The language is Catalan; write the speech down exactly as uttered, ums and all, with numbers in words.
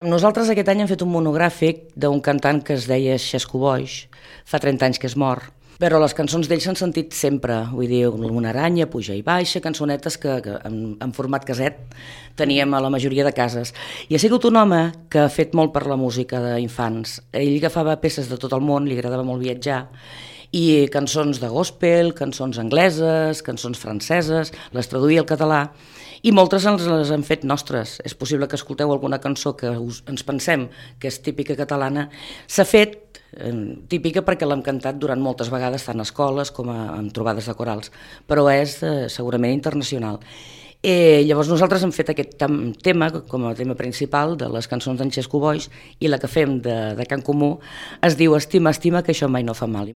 Nosaltres aquest any hem fet un monogràfic d'un cantant que es deia Xesco Boix, fa trenta anys que és mort, però les cançons d'ell s'han sentit sempre, vull dir, una aranya, puja i baixa, cançonetes que, que en, en format caset teníem a la majoria de cases. I ha sigut un home que ha fet molt per la música d'infants. Ell agafava peces de tot el món, li agradava molt viatjar, i cançons de gospel, cançons angleses, cançons franceses, les traduïa al català, i moltes ens les han fet nostres. És possible que escolteu alguna cançó que us, ens pensem que és típica catalana. S'ha fet eh, típica perquè l'hem cantat durant moltes vegades, tant a escoles com a, en trobades de corals, però és eh, segurament internacional. Eh, llavors nosaltres hem fet aquest tam, tema com a tema principal de les cançons d'en Xesco Boix, i la que fem de, de Can Comú es diu Estima, estima, que això mai no fa mal.